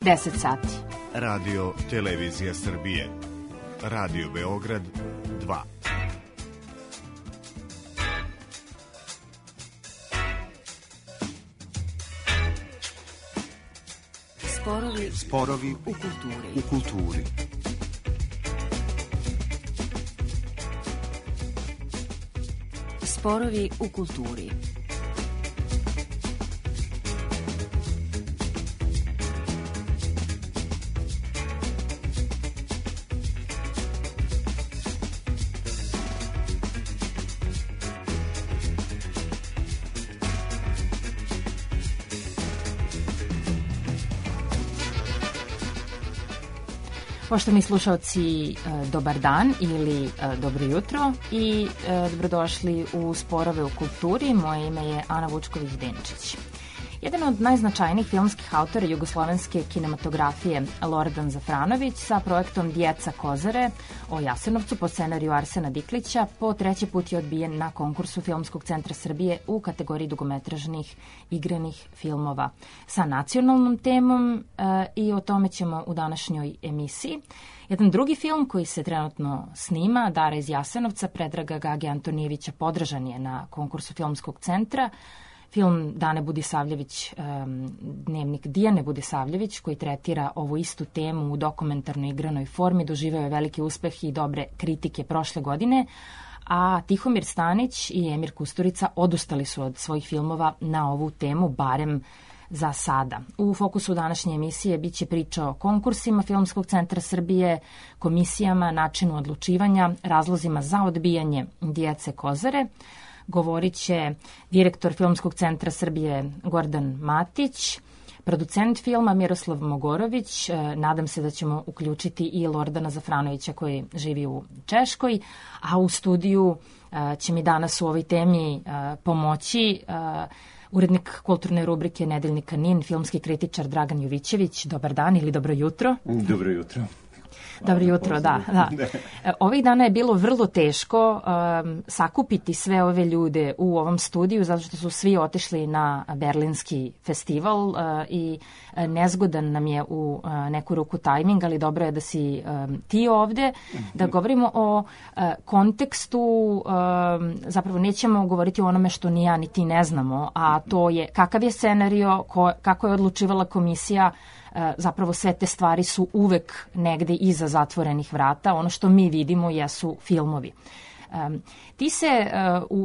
10 sati. Radio Televizija Srbije. Radio Beograd 2. Sporovi u kulturi. Sporovi u kulturi. Poštovani slušalci, dobar dan ili dobro jutro i dobrodošli u Sporove u kulturi. Moje ime je Ana Vučković-Denčić. Jedan od najznačajnijih filmskih autora jugoslovenske kinematografije, Lordan Zafranović, sa projektom Djeca Kozare o Jasenovcu po scenariju Arsena Diklića po treći put je odbijen na konkursu Filmskog centra Srbije u kategoriji dugometražnih igranih filmova sa nacionalnom temom i o tome ćemo u današnjoj emisiji. Jedan drugi film koji se trenutno snima, Dara iz Jasenovca, Predraga Gage Antonijevića, podržan je na konkursu Filmskog centra. Film Dane Budisavljević, dnevnik Dijane Budisavljević, koji tretira ovu istu temu u dokumentarnoj igranoj formi, doživeo je veliki uspeh i dobre kritike prošle godine, a Tihomir Stanić i Emir Kusturica odustali su od svojih filmova na ovu temu, barem za sada. U fokusu današnje emisije biće priča o konkursima Filmskog centra Srbije, komisijama, načinu odlučivanja, razlozima za odbijanje Djece Kozare. Govorit će direktor Filmskog centra Srbije Gordan Matić, producent filma Miroslav Mogorović. Nadam se da ćemo uključiti i Lordana Zafranovića koji živi u Češkoj, a u studiju će mi danas u ovoj temi pomoći urednik kulturne rubrike Nedeljnika NIN, filmski kritičar Dragan Jovićević. Dobar dan ili dobro jutro. Dobro jutro. Dobro jutro, da. Ovih dana je bilo vrlo teško sakupiti sve ove ljude u ovom studiju, zato što su svi otišli na Berlinski festival i nezgodan nam je u neku ruku tajming, ali dobro je da si ti ovde, da govorimo o kontekstu, zapravo nećemo govoriti o onome što ni ja ni ti ne znamo, a to je kakav je scenario, kako je odlučivala komisija. Zapravo sve te stvari su uvek negde iza zatvorenih vrata. Ono što mi vidimo jesu filmovi. Ti se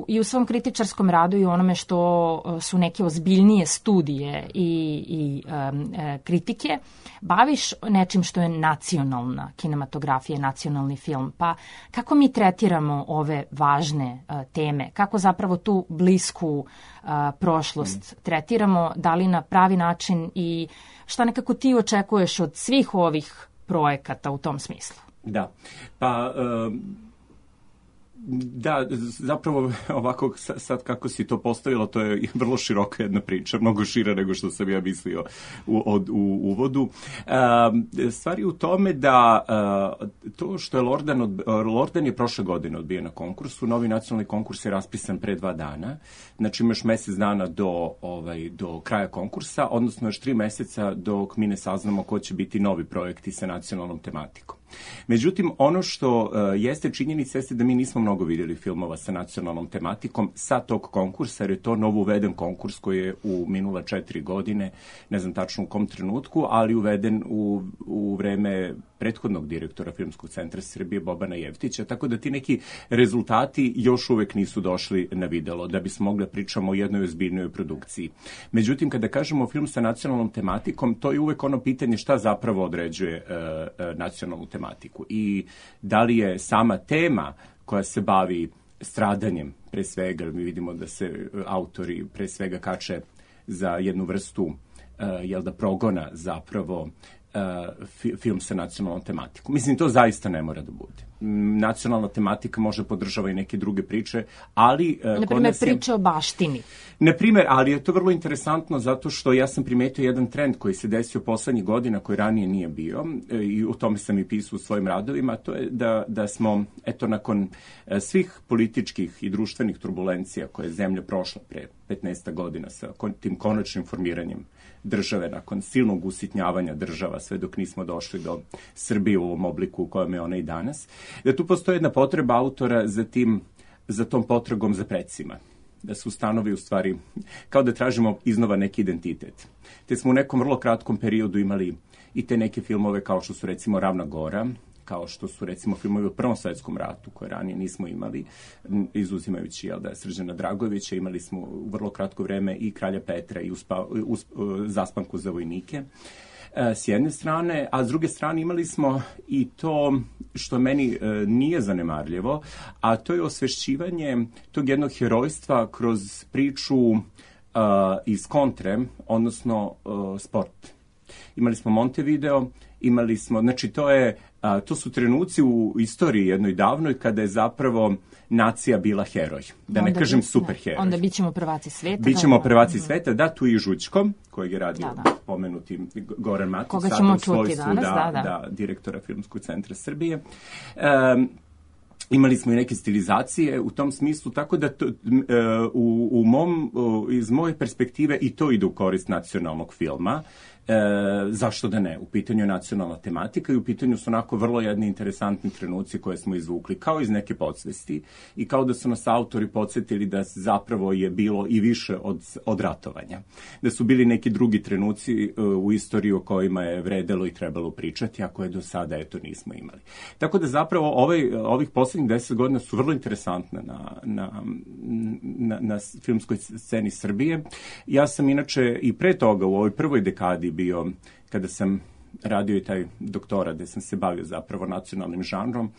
i u svom kritičarskom radu i onome što su neke ozbiljnije studije i kritike baviš nečim što je nacionalna kinematografija, nacionalni film. Pa kako mi tretiramo ove važne teme? Kako zapravo tu blisku prošlost tretiramo? Da li na pravi način i šta nekako ti očekuješ od svih ovih projekata u tom smislu? Da, pa da, zapravo ovako sad kako si to postavila, to je vrlo široka jedna priča, mnogo šira nego što sam ja mislio u uvodu. Stvar je u tome da to što je Lordan je prošle godine odbijen na konkursu, novi nacionalni konkurs je raspisan pre 2 dana, znači imaš mesec dana do kraja konkursa, odnosno još 3 meseca dok mi ne saznamo ko će biti novi projekti sa nacionalnom tematikom. Međutim, ono što jeste činjenica jeste da mi nismo mnogo vidjeli filmova sa nacionalnom tematikom sa tog konkursa, jer je to novo uveden konkurs koji je u minula 4 godine, ne znam tačno u kom trenutku, ali uveden u vreme prethodnog direktora Filmskog centra Srbije, Bobana Jevtića, tako da ti neki rezultati još uvek nisu došli na videlo, da bismo mogli da pričamo o jednoj ozbiljnoj produkciji. Međutim, kada kažemo film sa nacionalnom tematikom, to je uvek ono pitanje šta zapravo određuje nacionalnu tematiku i da li je sama tema koja se bavi stradanjem, pre svega, mi vidimo da se autori pre svega kače za jednu vrstu progona zapravo film sa nacionalnom tematikom. Mislim, to zaista ne mora da bude. Nacionalna tematika može podržava i neke druge priče, ali... Naprimjer, priče o baštini. Naprimjer, ali je to vrlo interesantno zato što ja sam primetio jedan trend koji se desio poslednjih godina, koji ranije nije bio, i o tome sam i pisao u svojim radovima, to je da smo, eto, nakon svih političkih i društvenih turbulencija koje je zemlja prošla pre 15 godina sa tim konačnim formiranjem države, nakon silnog usitnjavanja država, sve dok nismo došli do Srbije u ovom obliku u kojem je ona i danas, da tu postoji jedna potreba autora za tom potragom za precima, da se ustanovi u stvari, kao da tražimo iznova neki identitet. Te smo u nekom vrlo kratkom periodu imali i te neke filmove kao što su recimo Ravna gora, kao što su recimo filmovi o Prvom svetskom ratu, koje ranije nismo imali, izuzimajući Srđana Dragojevića, imali smo u vrlo kratko vreme i Kralja Petra i Zaspanku za vojnike, s jedne strane, a s druge strane imali smo i to što meni nije zanemarljivo, a to je osvešćivanje tog jednog herojstva kroz priču iz kontre, odnosno sport. Imali smo Montevideo, imali smo, znači to su trenuci u istoriji jednoj davnoj kada je zapravo nacija bila heroj. Da ne kažem superheroj. Onda bićemo prvaci sveta. Bićemo prvaci sveta, da, tu i Žućko, kojeg je radio pomenuti Goran Matić. Koga ćemo čuti danas, da, direktora Filmskog centra Srbije. Imali smo i neke stilizacije u tom smislu, tako da iz moje perspektive i to ide u korist nacionalnog filma. Zašto da ne? U pitanju je nacionalna tematika i u pitanju su onako vrlo jedni interesantni trenuci koje smo izvukli, kao iz neke podsvesti i kao da su nas autori podsjetili da zapravo je bilo i više od ratovanja. Da su bili neki drugi trenuci u istoriji o kojima je vredelo i trebalo pričati, a koje do sada nismo imali. Tako da zapravo ovih posljednjih 10 godina su vrlo interesantne na filmskoj sceni Srbije. Ja sam inače i pre toga u ovoj prvoj dekadi bio, kada sam radio i taj doktorat gde sam se bavio zapravo nacionalnim žanrom,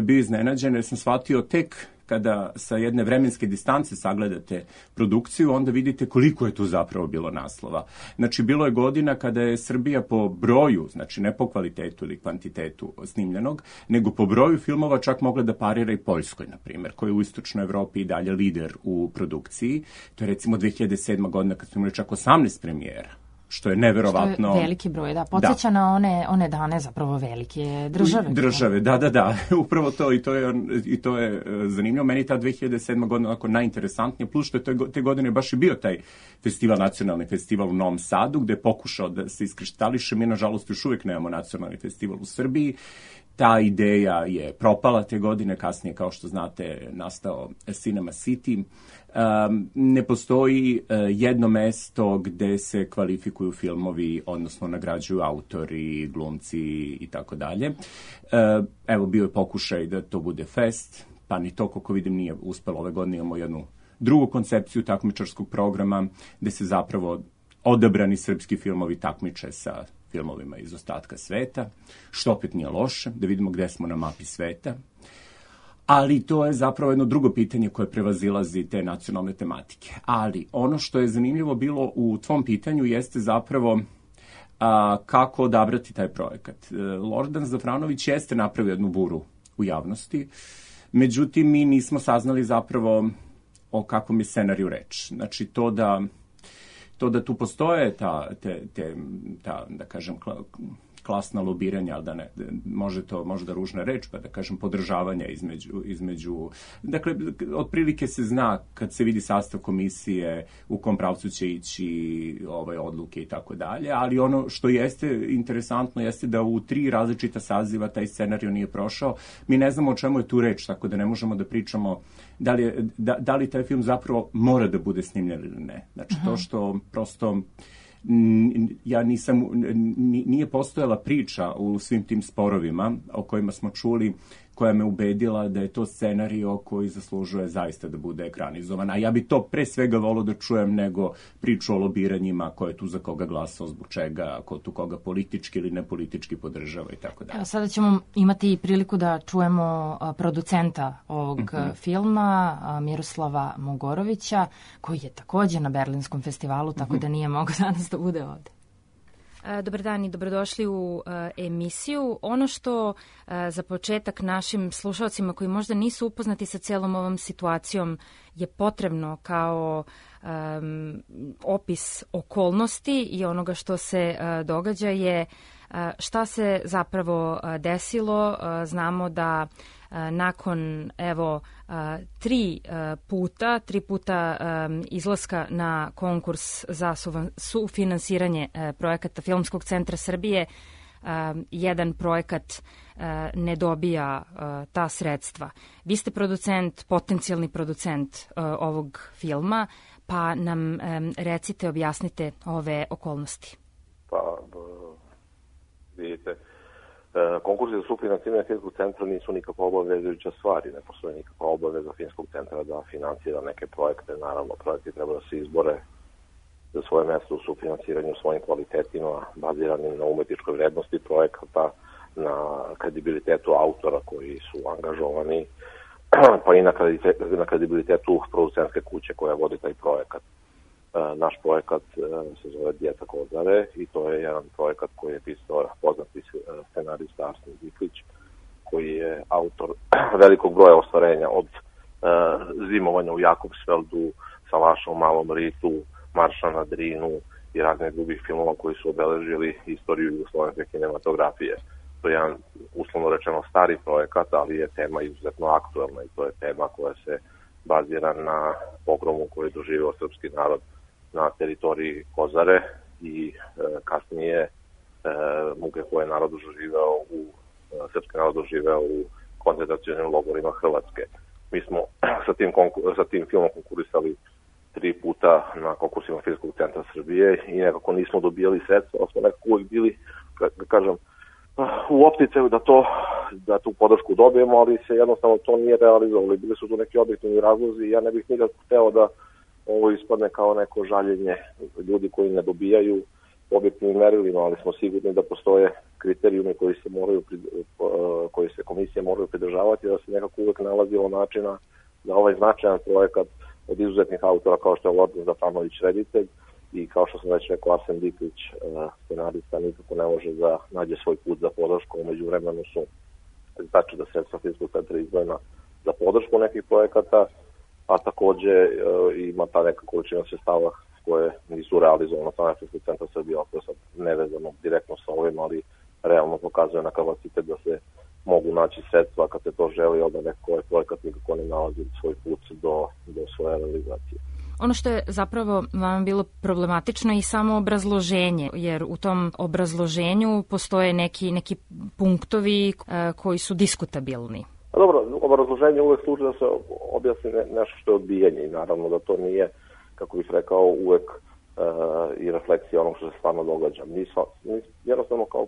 bio iznenađen jer sam shvatio tek kada sa jedne vremenske distance sagledate produkciju, onda vidite koliko je tu zapravo bilo naslova. Znači, bilo je godina kada je Srbija po broju, znači ne po kvalitetu ili kvantitetu snimljenog, nego po broju filmova čak mogla da parira i Poljskoj, na primjer, koja je u istočnoj Evropi i dalje lider u produkciji. To je recimo 2007. godina kad smo imali čak 18 premijera, što je neverovatno. Što je veliki broj, da. Podsjeća na one dane zapravo velike države. Države, da. Upravo to i to je zanimljivo. Meni ta 2007. godina onako najinteresantnija, plus što je te godine baš i bio taj festival, nacionalni festival u Novom Sadu, gde je pokušao da se iskristališe. Mi, nažalost, još uvijek nemamo nacionalni festival u Srbiji. Ta ideja je propala te godine, kasnije, kao što znate, nastao Cinema City. Ne postoji jedno mesto gde se kvalifikuju filmovi, odnosno nagrađuju autori, glumci i tako dalje. Evo, bio je pokušaj da to bude fest, pa ni to, koliko vidim, nije uspelo. Ove godine imamo jednu drugu koncepciju takmičarskog programa, gde se zapravo odabrani srpski filmovi takmiče sa filmovima iz ostatka sveta, što opet nije loše, da vidimo gde smo na mapi sveta. Ali to je zapravo jedno drugo pitanje koje prevazilazi te nacionalne tematike. Ali ono što je zanimljivo bilo u tvom pitanju jeste zapravo kako odabrati taj projekat. Lordan Zafranović jeste napravio jednu buru u javnosti, međutim mi nismo saznali zapravo o kakvom je scenariju reč. Znači to da tu postoje ta da kažem, klasna lobiranja, ali da ne, možda ružna reč, pa da kažem podržavanja između, dakle, otprilike se zna kad se vidi sastav komisije u kom pravcu će ići odluke i tako dalje, ali ono što jeste interesantno jeste da u 3 različita saziva taj scenarij nije prošao. Mi ne znamo o čemu je tu reč, tako da ne možemo da pričamo da li taj film zapravo mora da bude snimljen ili ne. Znači, to što prosto nije postojala priča u svim tim sporovima o kojima smo čuli, koja me ubedila da je to scenario koji zaslužuje zaista da bude ekranizovan. A ja bi to pre svega volio da čujem nego priču o lobiranjima, ko je tu za koga glasao, zbog čega, ko tu koga politički ili nepolitički podržava i tako dalje. Sada ćemo imati priliku da čujemo producenta ovog filma, Miroslava Mogorovića, koji je također na Berlinskom festivalu, tako da nije mogao danas da bude ovde. Dobar dan i dobrodošli u emisiju. Ono što za početak našim slušalcima koji možda nisu upoznati sa celom ovom situacijom je potrebno kao opis okolnosti i onoga što se događa je Šta se zapravo desilo? Znamo da nakon tri puta izlaska na konkurs za sufinansiranje projekata Filmskog centra Srbije, jedan projekat ne dobija ta sredstva. Vi ste potencijalni producent ovog filma, pa nam recite, objasnite ove okolnosti. Pa, vidite, konkursi za sufinansiranje Filmskog centra nisu nikakva obavezujuća stvar i ne postoji nikakva obaveza Filmskog centra da finansira neke projekte. Naravno, projekti treba da se izbore za svoje mesto u sufinansiranju svojim kvalitetima, baziranim na umetničkoj vrednosti projekata, na kredibilitetu autora koji su angažovani, pa i na kredibilitetu producentske kuće koja vodi taj projekat. Naš projekat se zove Djeca Kozare i to je jedan projekat koji je pisao poznati scenarista Arsen Diklić, koji je autor velikog broja ostvarenja od Zimovanja u Jakobsfeldu, Salaša u Malom Ritu, Marša na Drinu i raznih drugih filmova koji su obeležili istoriju jugoslovenske kinematografije. To je jedan, uslovno rečeno, stari projekat, ali je tema izuzetno aktuelna i to je tema koja se bazira na pogromu koji je doživio srpski narod na teritoriji Kozare i kasnije muke koje je srpski narod doživeo u koncentracionim logorima Hrvatske. Mi smo sa tim filmom konkurisali 3 puta na konkursima Filmskog centra Srbije i nekako nismo dobijali sredstva, ali smo nekako uvijek bili, kažem, u opticaju da tu podršku dobijemo, ali se jednostavno to nije realizovalo. Bili su tu neki objektivni razlozi i ja ne bih nikako hteo da ovo ispadne kao neko žaljenje ljudi koji ne dobijaju objektivnim merilima, ali smo sigurni da postoje kriterijumi koji se komisije moraju pridržavati, da se nekako uvek nalazilo načina da ovaj značajan projekat od izuzetnih autora kao što je Lordan Zafranović reditelj i kao što sam već rekao Arsen Diklić scenarista nikako ne može da nađe svoj put za podršku. Umeđu vremenu su znači da sredstva Filmskog centra izdvojena za podršku nekih projekata, a takođe ima ta neka količina sredstava koje nisu realizovane od strane Filmskog centra Srbije, koje sad nevezano direktno sa ovim, ali realno pokazuje na kapacitet da se mogu naći sredstva kad se to želi, onda neko ovaj projekat nikako ne nalazi svoj put do svoje realizacije. Ono što je zapravo vam bilo problematično i samo obrazloženje, jer u tom obrazloženju postoje neki punktovi koji su diskutabilni. Dobro, obrazloženje uvek služi da se objasni nešto što je odbijanje i naravno da to nije, kako bih rekao, uvek i refleksija onog što se stvarno događa. Jednostavno kao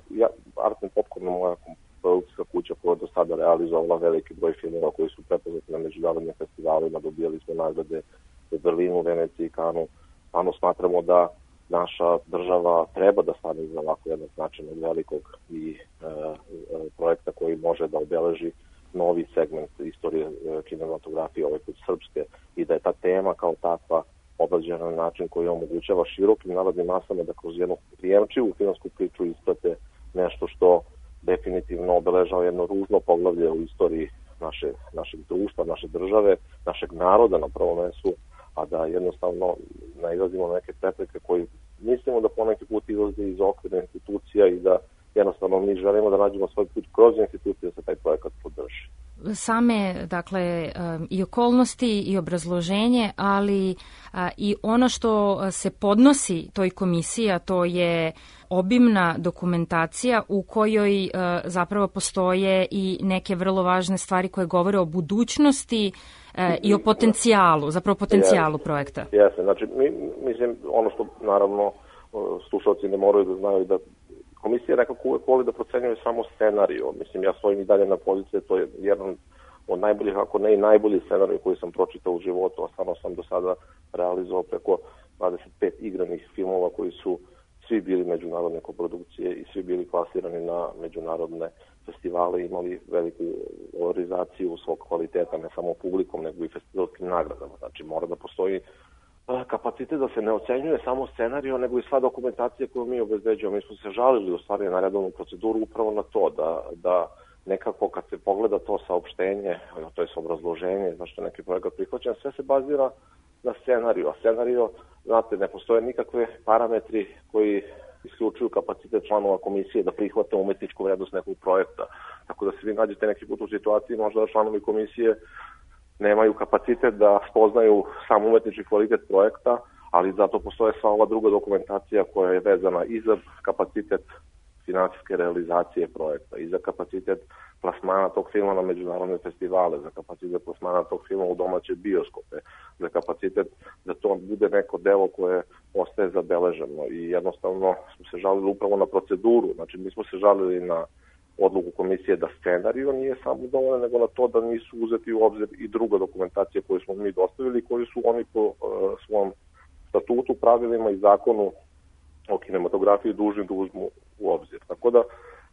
Art and Popcorn, moja produkcijska kuća koja je do sada realizovala veliki broj filmova koji su prepoznati na međunarodnim festivalima, dobijali smo nagrade u Berlinu, Veneciji, Kanu. Stvarno smatramo da naša država treba da stane iza ovako jednog značajnog velikog i projekta koji može da obeleži novi segment istorije kinematografije, ovaj put srpske, i da je ta tema kao takva obrađena na način koji omogućava širokim narodnim masama da kroz jednu prijemčivu filmsku priču isprate nešto što definitivno obeležava jedno ružno poglavlje u istoriji našeg društva, naše države, našeg naroda na prvom mestu, a da jednostavno nailazimo na neke prepreke koji mislimo da poneki put izlaze iz okvira institucija i da jednostavno mi želimo da nađemo svoj put kroz institucije da se taj projekat podrži. Same, dakle, i okolnosti i obrazloženje, ali i ono što se podnosi toj komisiji, a to je obimna dokumentacija u kojoj zapravo postoje i neke vrlo važne stvari koje govore o budućnosti i o potencijalu, zapravo potencijalu projekta. Jeste, znači, mislim, ono što naravno slušalci ne moraju da znaju da komisija nekako uvek voli da procenjuje samo scenariju. Mislim, ja svojim i dalje na pozicije, to je jedan od najboljih, ako ne i najbolji scenarij koji sam pročitao u životu, a stvarno sam do sada realizovao preko 25 igranih filmova koji su svi bili međunarodne koprodukcije i svi bili klasirani na međunarodne festivale, imali veliku valorizaciju svog kvaliteta, ne samo publikom, nego i festivalskim nagradama. Znači, mora da postoji kapacitet da se ne ocenjuje samo scenarijo, nego i sva dokumentacija koju mi obezbeđujemo. Mi smo se žalili u stvari na redovnu proceduru upravo na to, da nekako kad se pogleda to saopštenje, to je obrazloženje, zašto je neki projekat prihvaćen, sve se bazira na scenariju. A scenarijo, znate, ne postoje nikakve parametri koji isključuju kapacitet članova komisije da prihvate umetničku vrednost nekog projekta. Tako da se vi nađete neki put u situaciji možda da članovi komisije nemaju kapacitet da spoznaju sam umetnički kvalitet projekta, ali zato postoje sva ova druga dokumentacija koja je vezana i za kapacitet finansijske realizacije projekta, i za kapacitet plasmana tog filma na međunarodne festivale, za kapacitet plasmana tog filma u domaće bioskope, za kapacitet da to bude neko delo koje ostaje zabeleženo. I jednostavno smo se žalili upravo na proceduru, znači mi smo se žalili na odluku komisije da scenario nije samo dovoljan, nego na to da nisu uzeti u obzir i druga dokumentacija koju smo mi dostavili, koju su oni po svom statutu, pravilima i zakonu o kinematografiji dužni da uzmu u obzir. Tako da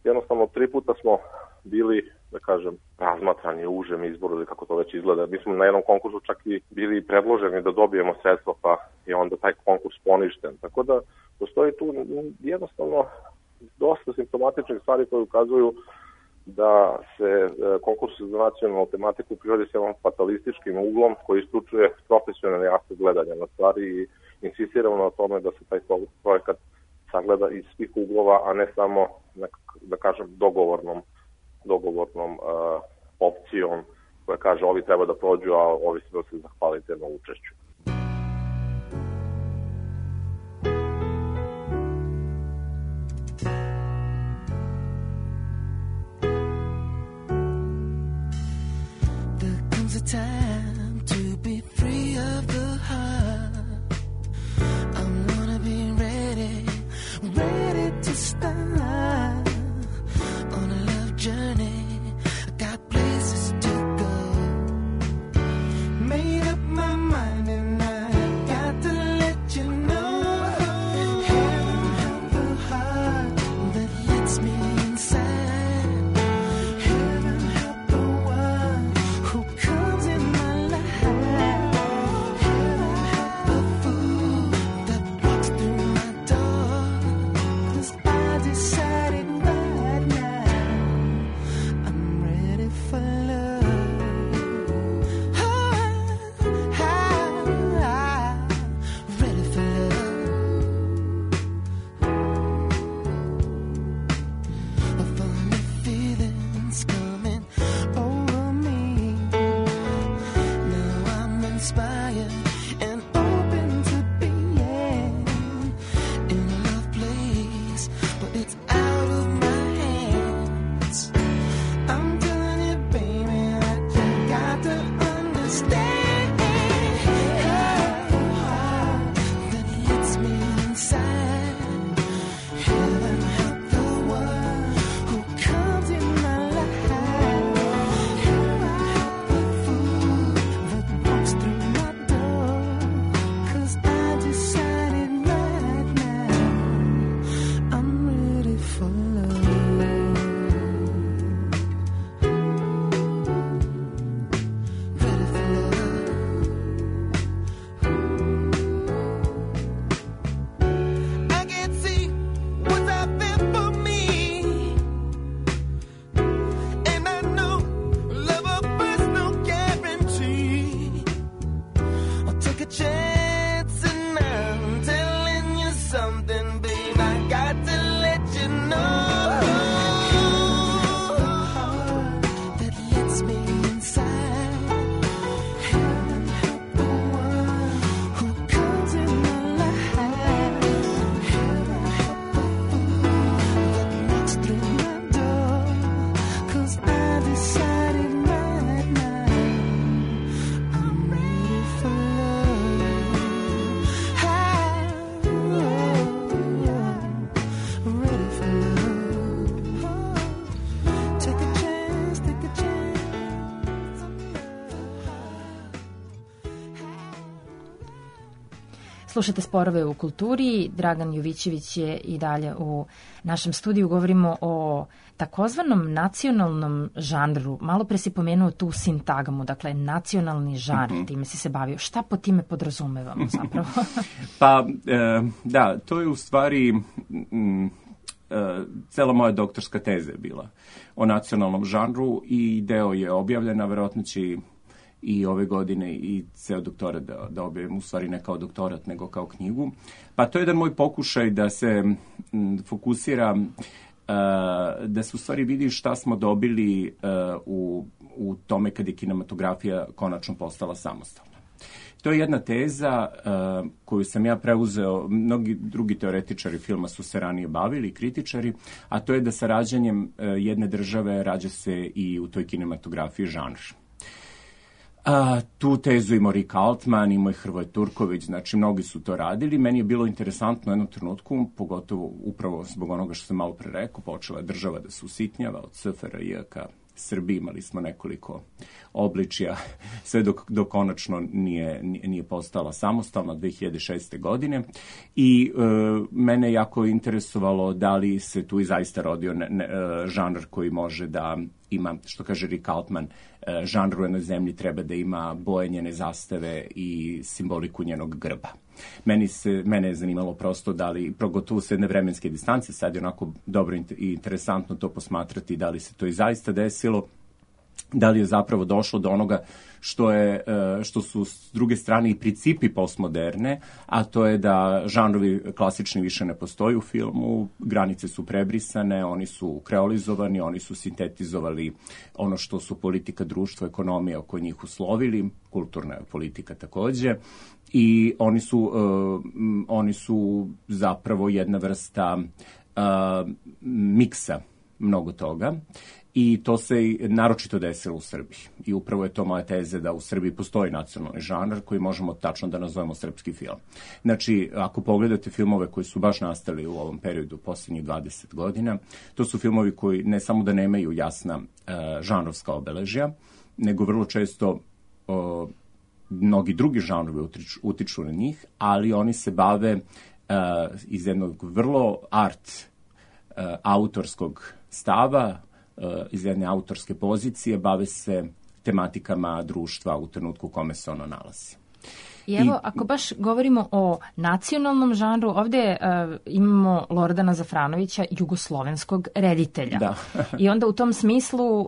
jednostavno 3 puta smo bili, da kažem, razmatrani u užem izboru ili kako to već izgleda. Mi smo na jednom konkursu čak i bili predloženi da dobijemo sredstva, pa je onda taj konkurs poništen. Tako da postoji tu jednostavno dosta simptomatičnih stvari koje ukazuju da se konkurs za nacionalnu tematiku privodi s jednom fatalističkim uglom koji isključuje profesionalni aspekt gledanja na stvari i insistiramo na tome da se taj projekat sagleda iz svih uglova, a ne samo, da kažem, dogovornom opcijom koja kaže ovi treba da prođu, a ovi se zahvalite na učešću. Slušate Sporove u kulturi. Dragan Jovićević je i dalje u našem studiju. Govorimo o takozvanom nacionalnom žanru. Malo pre si pomenuo tu sintagmu, dakle nacionalni žanr, time si se bavio. Šta po time podrazumevamo zapravo? Pa, da, to je u stvari cela moja doktorska teza je bila o nacionalnom žanru i deo je objavljena, verovatno će i ove godine i ceo doktorat da objavim, u stvari ne kao doktorat, nego kao knjigu. Pa to je jedan moj pokušaj da se fokusira, da se u stvari vidi šta smo dobili u tome kad je kinematografija konačno postala samostalna. To je jedna teza koju sam ja preuzeo, mnogi drugi teoretičari filma su se ranije bavili, kritičari, a to je da sa rađanjem jedne države rađa se i u toj kinematografiji žanr. Tu tezu imao Rick Altman, imao i Hrvoje Turković, znači mnogi su to radili. Meni je bilo interesantno u jednom trenutku, pogotovo upravo zbog onoga što sam malo pre rekao, počela je država da se usitnjava od SFRJ ka Srbiji, imali smo nekoliko obličja, sve dok konačno nije postala samostalna 2006. godine. I mene je jako interesovalo da li se tu i zaista rodio žanr koji može da ima, što kaže Rick Altman, žanr u jednoj zemlji treba da ima boje njene zastave i simboliku njenog grba. Mene je zanimalo prosto da li, progotovo s jedne vremenske distance, sad je onako dobro i interesantno to posmatrati, da li se to i zaista desilo, da li je zapravo došlo do onoga što su s druge strane i principi postmoderne, a to je da žanrovi klasični više ne postoji u filmu, granice su prebrisane, oni su kreolizovani, oni su sintetizovali ono što su politika, društvo, ekonomija oko njih uslovili, kulturna politika takođe, i oni su zapravo jedna vrsta miksa mnogo toga. I to se naročito desilo u Srbiji. I upravo je to moja teza da u Srbiji postoji nacionalni žanr koji možemo tačno da nazovemo srpski film. Znači, ako pogledate filmove koji su baš nastali u ovom periodu posljednjih 20 godina, to su filmovi koji ne samo da nemaju jasna žanrovska obeležja, nego vrlo često mnogi drugi žanrovi utiču na njih, ali oni se bave iz jednog vrlo autorskog stava, iz jedne autorske pozicije, bave se tematikama društva u trenutku u kome se ono nalazi. I evo, ako baš govorimo o nacionalnom žanru, ovde imamo Lordana Zafranovića, jugoslovenskog reditelja. Da. I onda u tom smislu,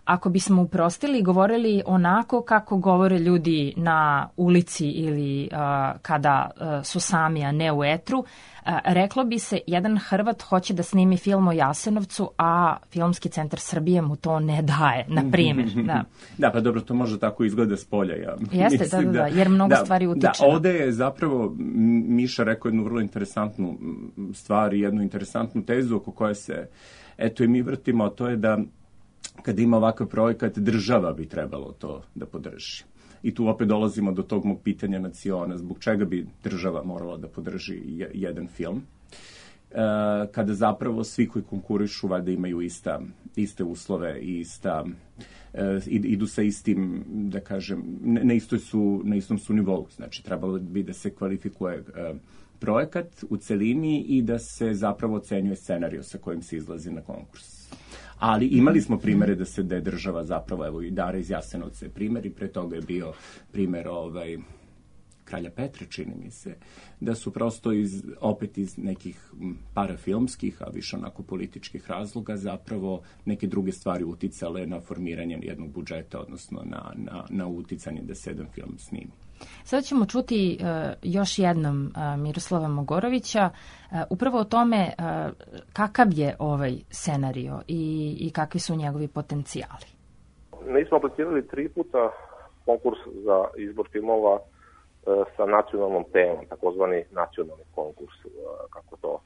ako bismo uprostili i govorili onako kako govore ljudi na ulici ili kada su sami, a ne u etru, reklo bi se, jedan Hrvat hoće da snimi film o Jasenovcu, a Filmski centar Srbije mu to ne daje, na primjer. Da, pa dobro, to može tako izgleda s polja. Ja jeste, mislim, da, jer mnogo stvari utiče. Da, ovde je zapravo Miša rekao jednu vrlo interesantnu stvar i jednu interesantnu tezu oko koje se, eto i mi vrtimo, a to je da kada ima ovakav projekat, država bi trebalo to da podrži. I tu opet dolazimo do tog mog pitanja naciona, zbog čega bi država morala da podrži jedan film, kada zapravo svi koji konkurišu valjda imaju iste uslove i idu sa istim, da kažem, na istom su nivou. Znači, trebalo bi da se kvalifikuje projekat u celini i da se zapravo ocenjuje scenario sa kojim se izlazi na konkurs. Ali imali smo primere da je država zapravo, evo i Dara iz Jasenovca je primer i pre toga je bio primer Kralja Petra, čini mi se, da su prosto opet iz nekih parafilmskih, a više onako političkih razloga zapravo neke druge stvari uticale na formiranje jednog budžeta, odnosno na uticanje da se jedan film snimi. Sada ćemo čuti još jednom Miroslava Mogorovića upravo o tome kakav je ovaj scenario i kakvi su njegovi potencijali. Mi smo aplicirali 3 puta konkurs za izbor filmova sa nacionalnom temom, takozvani nacionalni konkurs, kako to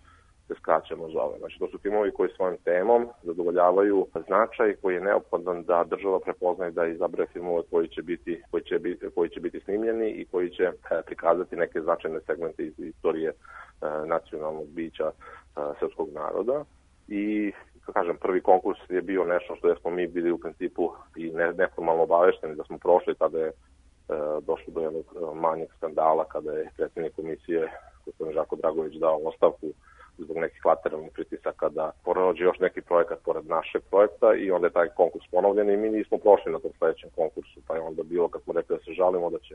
se skraćeno zove. Znači, to su filmovi koji svojom temom zadovoljavaju značaj koji je neophodan da država prepoznaje da izabere filmove koji će biti snimljeni i koji će prikazati neke značajne segmente iz istorije nacionalnog bića srpskog naroda. I, kažem, prvi konkurs je bio nešto što smo mi bili u principu i neformalno obavešteni da smo prošli, tada je došlo do jednog manjeg skandala kada je predsjednik komisije gospodin Žarko Dragović dao ostavku zbog nekih lateralnih pritisaka da prođe još neki projekat pored našeg projekta i onda je taj konkurs ponovljen i mi nismo prošli na tom sledećem konkursu, pa je onda bilo kad smo rekli da se žalimo da će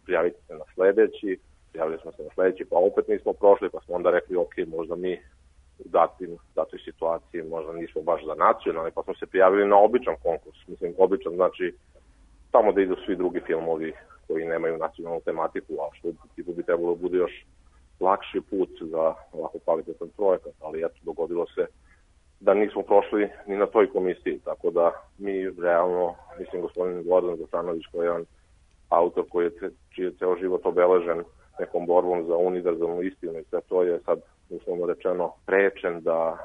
prijaviti se na sledeći, prijavili smo se na sledeći, pa opet nismo prošli, pa smo onda rekli ok, možda mi u datoj situaciji možda nismo baš za nacionalni, pa smo se prijavili na običan konkurs. Mislim, običan znači tamo da idu svi drugi filmovi koji nemaju nacionalnu tematiku, a što tipu bi trebalo da bude još lakši put za ovako kvalitetan projekat, ali eto, dogodilo se da nismo prošli ni na toj komisiji, tako da mi realno, mislim, gospodin Gordan Zasanović, koji je jedan autor čiji je ceo život obeležen nekom borbom za univerzalnu istinu i sve to je sad, uslovno rečeno, prečen da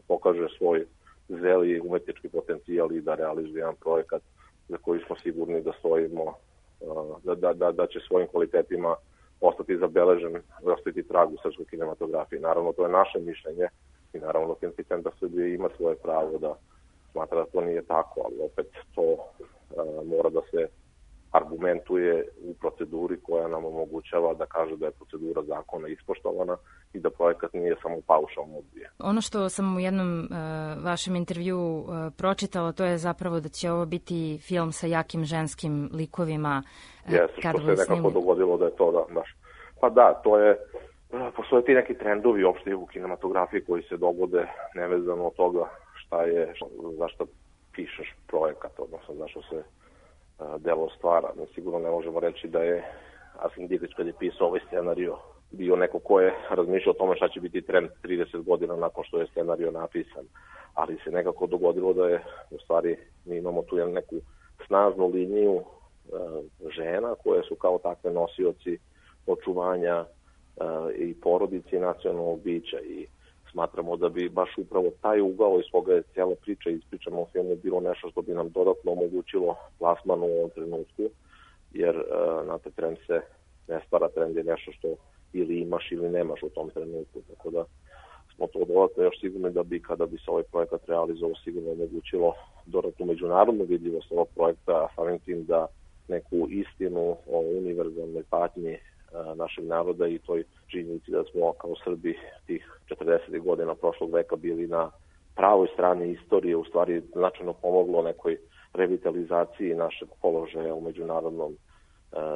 pokaže svoj zeli umetnički potencijal i da realizuje jedan projekat za koji smo sigurni da stojimo, da će svojim kvalitetima ostati zabeležen, ostati trag u srpskoj kinematografiji. Naravno, to je naše mišljenje i naravno Filmski centar Srbije ima svoje pravo da smatra da to nije tako, ali opet to mora da se argumentuje u proceduri koja nam omogućava da kaže da je procedura zakona ispoštovana i da projekat nije samo paušalno odbijen. Ono što sam u jednom vašem intervju pročitala, to je zapravo da će ovo biti film sa jakim ženskim likovima. Što se nekako dogodilo da je to baš. Pa da, to je, postoje ti neki trendovi uopšte u kinematografiji koji se dogode nevezano od toga zašto pišeš projekat, odnosno zašto se delo stvara. Mi sigurno ne možemo reći da je Arsene Dietrich kad je pisao ovaj scenario bio neko ko je razmišljao o tome šta će biti trend 30 godina nakon što je scenario napisan. Ali se nekako dogodilo da je, u stvari, mi imamo tu neku snažnu liniju žena koje su kao takve nosioci očuvanja i porodice i nacionalnog bića i smatramo da bi baš upravo taj ugao iz koga je cijela priča ispričana u filmu bilo nešto što bi nam dodatno omogućilo plasman u ovom trenutku, jer znate, trend se ne stvara, trend je nešto što ili imaš ili nemaš u tom trenutku, tako da smo to dodatno još sigurni da bi kada bi se ovaj projekat realizovao sigurno omogućilo dodatnu međunarodnu vidljivost ovog projekta, a samim tim da neku istinu o univerzalnoj patnji našeg naroda i toj činjenici da smo kao Srbi tih 40. godina prošlog veka bili na pravoj strani istorije, u stvari značajno pomoglo nekoj revitalizaciji našeg položaja u međunarodnom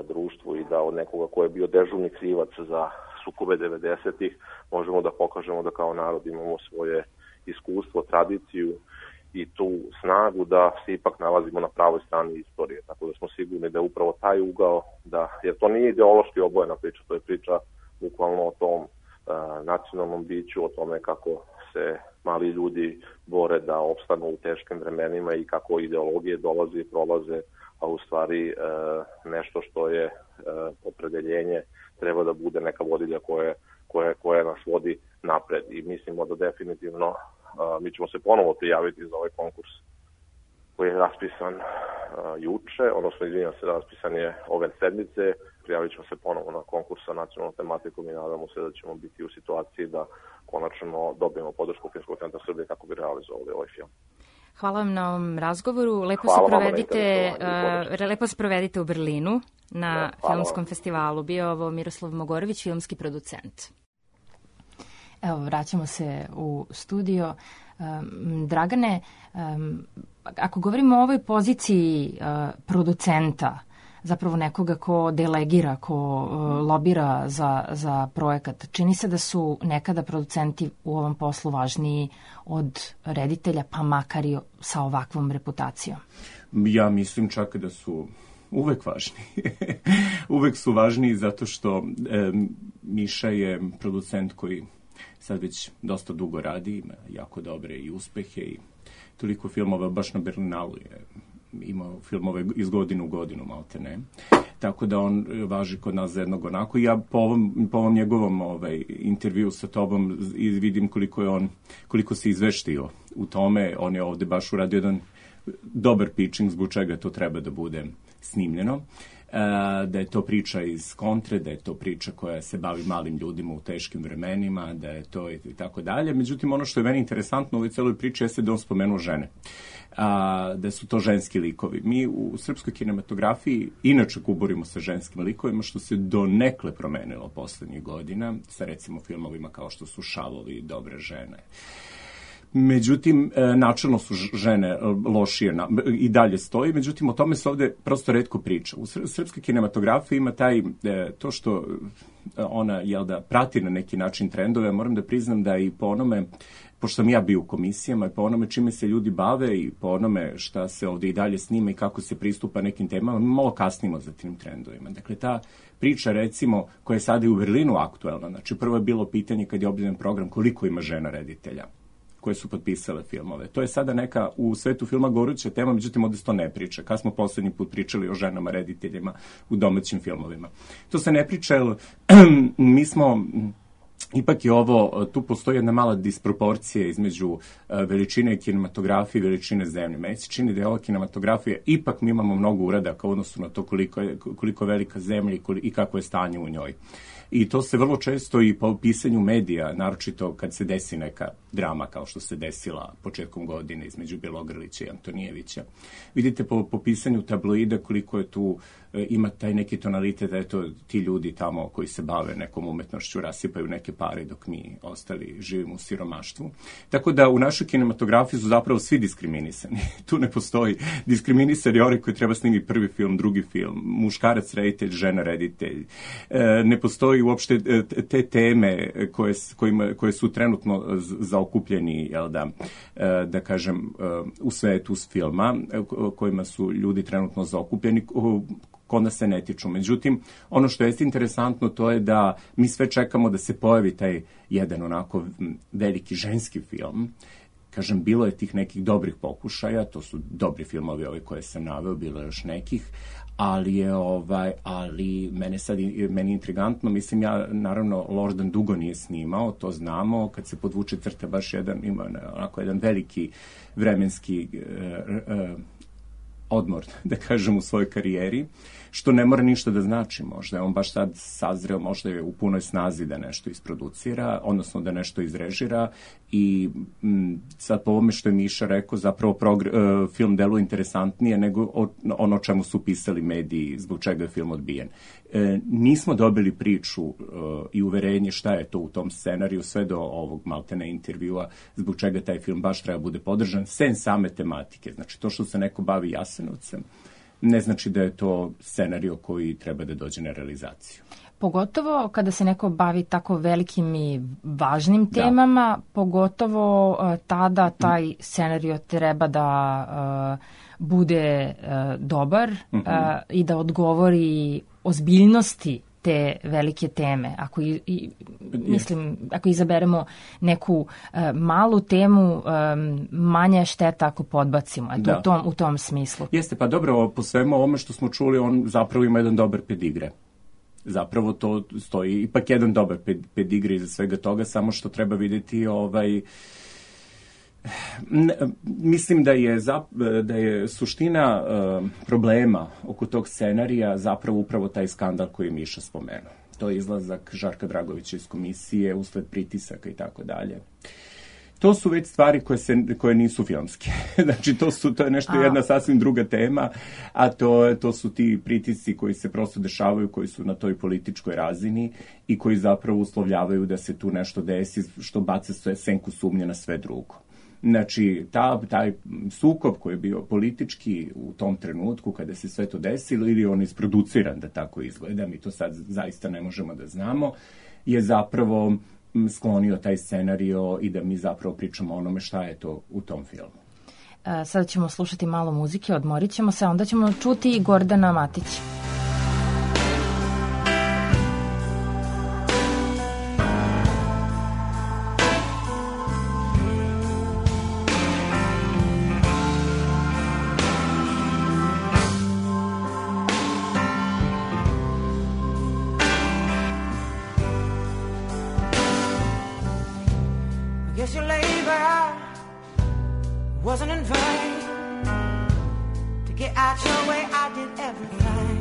društvu i da od nekoga ko je bio dežurni krivac za sukobe 90-ih možemo da pokažemo da kao narod imamo svoje iskustvo, tradiciju i tu snagu da se ipak nalazimo na pravoj strani istorije. Tako da smo sigurni da je upravo taj ugao, jer to nije ideološki obojena priča, to je priča bukvalno o tom nacionalnom biću, o tome kako se mali ljudi bore da opstanu u teškim vremenima i kako ideologije dolaze i prolaze, a u stvari nešto što je opredeljenje treba da bude neka vodilja koja nas vodi napred. I mislimo da definitivno mi ćemo se ponovo prijaviti za ovaj konkurs koji je raspisan juče, odnosno izvinjam se, raspisan je ove sedmice. Prijavit ćemo se ponovo na konkurs sa nacionalnom tematikom i nadamo se da ćemo biti u situaciji da konačno dobijemo podršku Filmskog centra Srbije kako bi realizovali ovaj film. Hvala vam na ovom razgovoru. Lepo se provedite u Berlinu na filmskom festivalu. Bio ovo Miroslav Mogorović, filmski producent. Evo, vraćamo se u studio. Dragane, ako govorimo o ovoj poziciji producenta, zapravo nekoga ko delegira, ko lobira za projekat, čini se da su nekada producenti u ovom poslu važniji od reditelja, pa makar i sa ovakvom reputacijom. Ja mislim čak da su uvek važni. Uvek su važniji zato što Miša je producent koji sad već dosta dugo radi, ima jako dobre i uspehe i toliko filmova, baš na Berlinalu je imao filmove iz godine u godinu, malte ne. Tako da on važi kod nas za jednog onako. I ja po ovom njegovom intervju sa tobom vidim koliko se izveštio u tome. On je ovde baš uradio jedan dobar pitching zbog čega to treba da bude snimljeno. Da je to priča iz kontre, da je to priča koja se bavi malim ljudima u teškim vremenima, da je to i tako dalje. Međutim, ono što je meni interesantno u ovoj celoj priči jeste da on spomenuo žene. Da su to ženski likovi. Mi u srpskoj kinematografiji inače kuburimo sa ženskim likovima, što se donekle promenilo poslednjih godina, sa recimo filmovima kao što su Šavovi i Dobre žene. Međutim, načelno su žene lošije i dalje stoji, međutim, o tome se ovde prosto retko priča. U srpskoj kinematografiji ima to što ona, prati na neki način trendove, moram da priznam da i po onome pošto sam ja bio u komisijama i po onome čime se ljudi bave i po onome šta se ovdje i dalje snima i kako se pristupa nekim temama, mi malo kasnimo za tim trendovima. Dakle, ta priča, recimo, koja je sada i u Berlinu aktuelna, znači prvo je bilo pitanje kad je objavljen program koliko ima žena reditelja koje su potpisale filmove. To je sada neka u svetu filma goruća tema, međutim ovdje se to ne priča. Kad smo posljednji put pričali o ženama rediteljima u domaćim filmovima. To se ne priča, jer mi smo... Ipak je ovo, tu postoji jedna mala disproporcija između veličine kinematografije i veličine zemlje. Meni se čini da je ova kinematografija, ipak mi imamo mnogo uradaka u odnosu na to koliko je velika zemlja i kako je stanje u njoj. I to se vrlo često i po pisanju medija, naročito kad se desi neka drama kao što se desila početkom godine između Bjelogrlića i Antonijevića. Vidite po pisanju tabloida koliko je tu ima taj neki tonalitet da eto ti ljudi tamo koji se bave nekom umetnošću rasipaju neke pare dok mi ostali živimo u siromaštvu. Tako da u našoj kinematografiji su zapravo svi diskriminisani. Tu ne postoji diskriminisani oni koji treba snimiti prvi film, drugi film, muškarac reditelj, žena reditelj. Ne postoji uopšte te teme koje su trenutno zaokupljeni, jel da kažem, u svetu s filma, kojima su ljudi trenutno zaokupljeni, kod nas se ne tiču. Međutim, ono što je interesantno to je da mi sve čekamo da se pojavi taj jedan onako veliki ženski film. Kažem, bilo je tih nekih dobrih pokušaja, to su dobri filmovi ovi koje sam naveo, bilo je još nekih, ali meni intrigantno, mislim ja, naravno, Lordan dugo nije snimao, to znamo, kad se podvuče crta baš ima onako jedan veliki vremenski odmor, da kažem, u svojoj karijeri, što ne mora ništa da znači. Možda je on baš sad sazreo, možda je u punoj snazi da nešto isproducira, odnosno da nešto izrežira i sad po ovome što je Miša rekao, zapravo film deluje interesantnije nego ono o čemu su pisali mediji, zbog čega je film odbijen. Nismo dobili priču i uverenje šta je to u tom scenariju, sve do ovog maltene intervjua, zbog čega taj film baš treba bude podržan, sem same tematike. Znači, to što se neko bavi Jasenovcem, ne znači da je to scenario koji treba da dođe na realizaciju. Pogotovo kada se neko bavi tako velikim i važnim temama, pogotovo tada taj scenario treba da bude dobar i da odgovori ozbiljnosti te velike teme. Ako izaberemo neku malu temu, manja je šteta ako podbacimo. U tom smislu. Jeste, pa dobro, po svemu ovome što smo čuli, on zapravo ima jedan dobar pedigre. Zapravo to stoji ipak jedan dobar pedigre iza svega toga, samo što treba vidjeti mislim da je suština problema oko tog scenarija zapravo upravo taj skandal koji je Miša spomenuo. To je izlazak Žarka Dragovića iz komisije usled pritisaka i tako dalje. To su već stvari koje nisu filmske. Znači, to je nešto jedna sasvim druga tema, a to su ti pritisci koji se prosto dešavaju, koji su na toj političkoj razini i koji zapravo uslovljavaju da se tu nešto desi, što baca senku sumnje na sve drugo. Znači, taj sukob koji je bio politički u tom trenutku kada se sve to desilo, ili on isproduciran da tako izgleda, mi to sad zaista ne možemo da znamo, je zapravo sklonio taj scenario i da mi zapravo pričamo o onome šta je to u tom filmu. Sada ćemo slušati malo muzike, odmorit ćemo se, onda ćemo čuti i Gordana Matića. Wasn't in vain to get out your way. I did everything.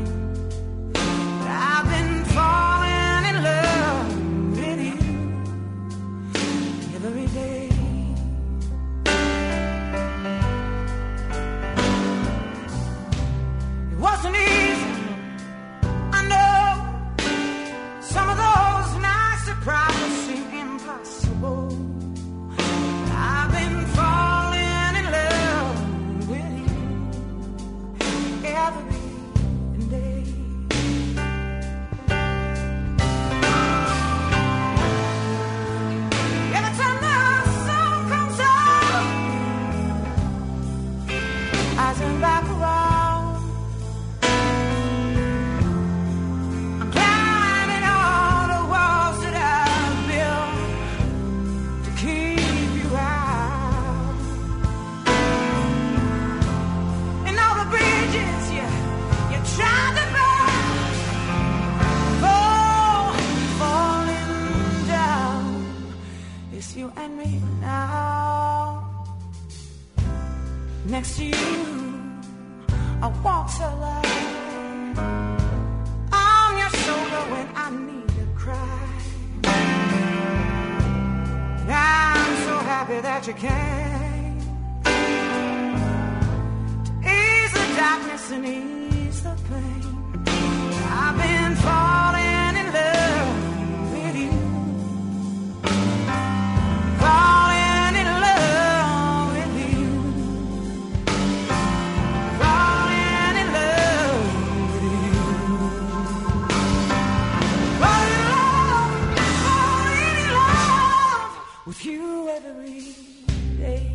I've been falling in love with you every day. It wasn't easy, I know. Some of those nights that probably seem impossible. I've been falling every day. next to you, I walk so light on your shoulder when I need to cry. And I'm so happy that you came to ease the darkness and ease the pain. I've been falling in love with you, falling in love with you, falling in love with you, falling in love with you every day.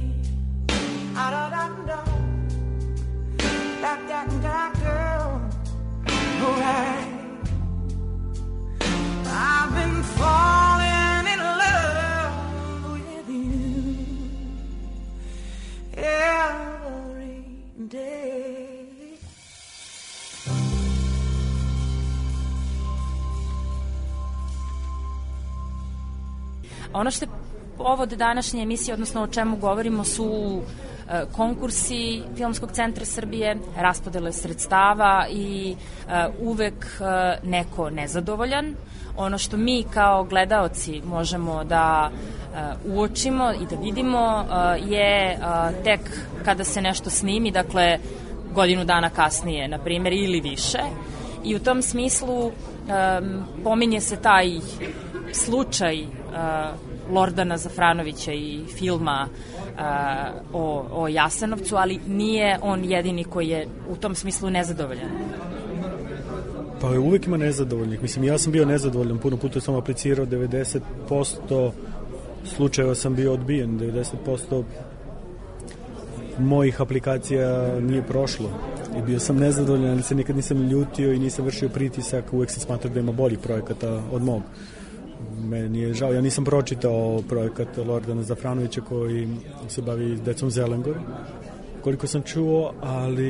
Da da da da, da da da girl. Alright, I've been falling in love with you every day. Ono što je povod današnje emisije, odnosno o čemu govorimo, su konkursi Filmskog centra Srbije, raspodele sredstava i uvek neko nezadovoljan. Ono što mi kao gledaoci možemo da uočimo i da vidimo je tek kada se nešto snimi, dakle godinu dana kasnije, na primjer, ili više. I u tom smislu pominje se taj slučaj Lordana Zafranovića i filma o Jasenovcu, ali nije on jedini koji je u tom smislu nezadovoljan. Pa uvek ima nezadovoljnih. Mislim, ja sam bio nezadovoljan, puno puta sam aplicirao, 90% slučajeva sam bio odbijen, 90% mojih aplikacija nije prošlo i bio sam nezadovoljan, ali se nikad nisam ljutio i nisam vršio pritisak, uvek sam smatrao da ima boljih projekata od mog. Meni je žao, ja nisam pročitao projekat Lordana Zafranovića koji se bavi decom Zelengor, koliko sam čuo, ali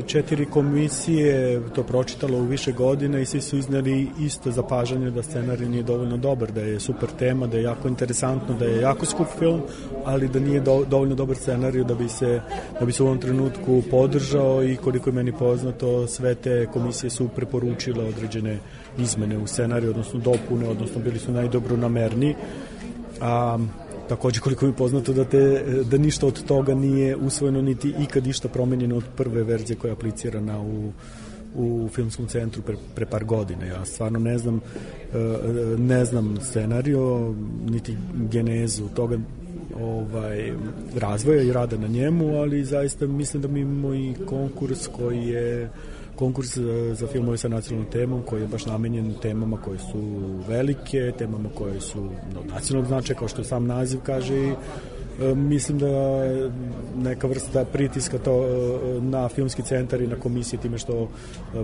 4 komisije to pročitalo u više godina i svi su izneli isto zapažanje da scenarij nije dovoljno dobar, da je super tema, da je jako interesantno, da je jako skup film, ali da nije dovoljno dobar scenarij da bi se u ovom trenutku podržao i koliko je meni poznato, sve te komisije su preporučile određene izmene u scenariju, odnosno dopune, odnosno bili su najdobronamerniji. Takođe, koliko mi je poznato da ništa od toga nije usvojeno, niti ikad išta promenjeno od prve verzije koja je aplicirana u Filmskom centru pre par godina. Ja stvarno ne znam scenarijo, niti genezu toga razvoja i rada na njemu, ali zaista mislim da mi imamo i konkurs koji je konkurs za filmove sa nacionalnom temom koji je baš namenjen temama koje su velike, temama koje su od nacionalnog značaja, kao što sam naziv kaže, i mislim da neka vrsta pritiska to na Filmski centar i na komisije time što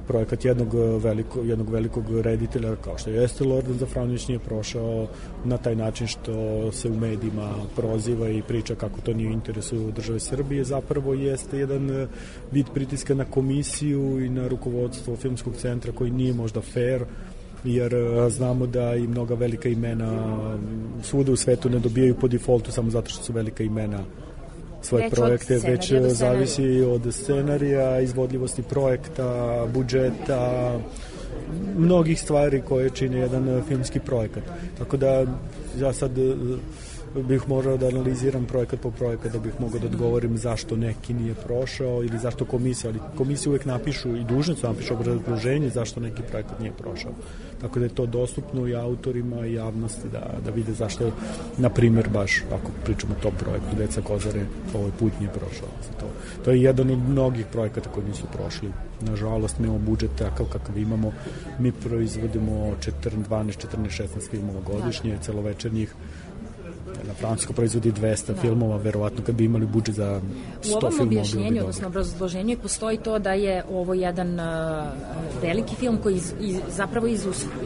projekat jednog velikog reditelja kao što jeste Lordan Zafranović nije prošao na taj način što se u medijima proziva i priča kako to nije u interesu države Srbije, zapravo jeste jedan vid pritiska na komisiju i na rukovodstvo Filmskog centra koji nije možda fair, jer znamo da i mnoga velika imena svuda u svetu ne dobijaju po defaultu samo zato što su velika imena svoje projekte, već zavisi od scenarija, izvodljivosti projekta, budžeta, mnogih stvari koje čine jedan filmski projekat. Tako da ja sad bih morao da analiziram projekat po projekat da bih mogao da odgovorim zašto neki nije prošao ili zašto komisija, ali komisije uvek napišu i dužni su napišu obrazloženje zašto neki projekat nije prošao. Tako da je to dostupno i autorima i javnosti da vide zašto, na primjer, baš ako pričamo o tom projektu Deca Kozare, ovaj put nije prošao. To je jedan od mnogih projekata koji nisu prošli. Nažalost, mi imamo budžet takav kakav imamo. Mi proizvodimo 12, 14, 16 filmova godišnje, celovečernjih. Na Francusko proizvodi 200 filmova, verovatno kad bi imali budžet za 100 filmova. U ovom objašnjenju, odnosno obrazloženju, postoji to da je ovo jedan veliki film koji zapravo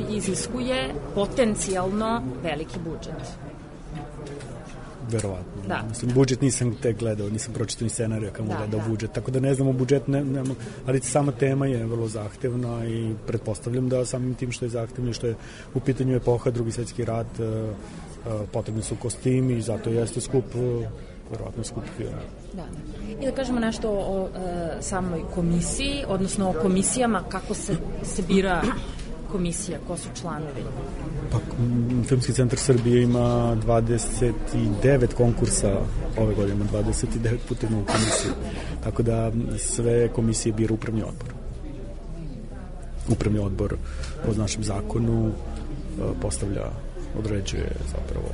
iziskuje potencijalno veliki budžet. Verovatno. Da. Mislim, budžet nisam tek gledao, nisam pročitao ni scenarija kad mu gledao budžet, tako da ne znamo budžet, ali sama tema je vrlo zahtevna i pretpostavljam da samim tim što je zahtevno i što je u pitanju epoha, Drugi svjetski rat, potrebni su kostimi i zato jeste skup verovatno skup film. Da. I da kažemo nešto o samoj komisiji, odnosno o komisijama, kako se bira komisija, ko su članovi? Pa, Filmski centar Srbije ima 29 konkursa ove godine, ima 29 puta u komisiju. Tako da sve komisije bira upravni odbor. Upravni odbor po našem zakonu postavlja, određuje zapravo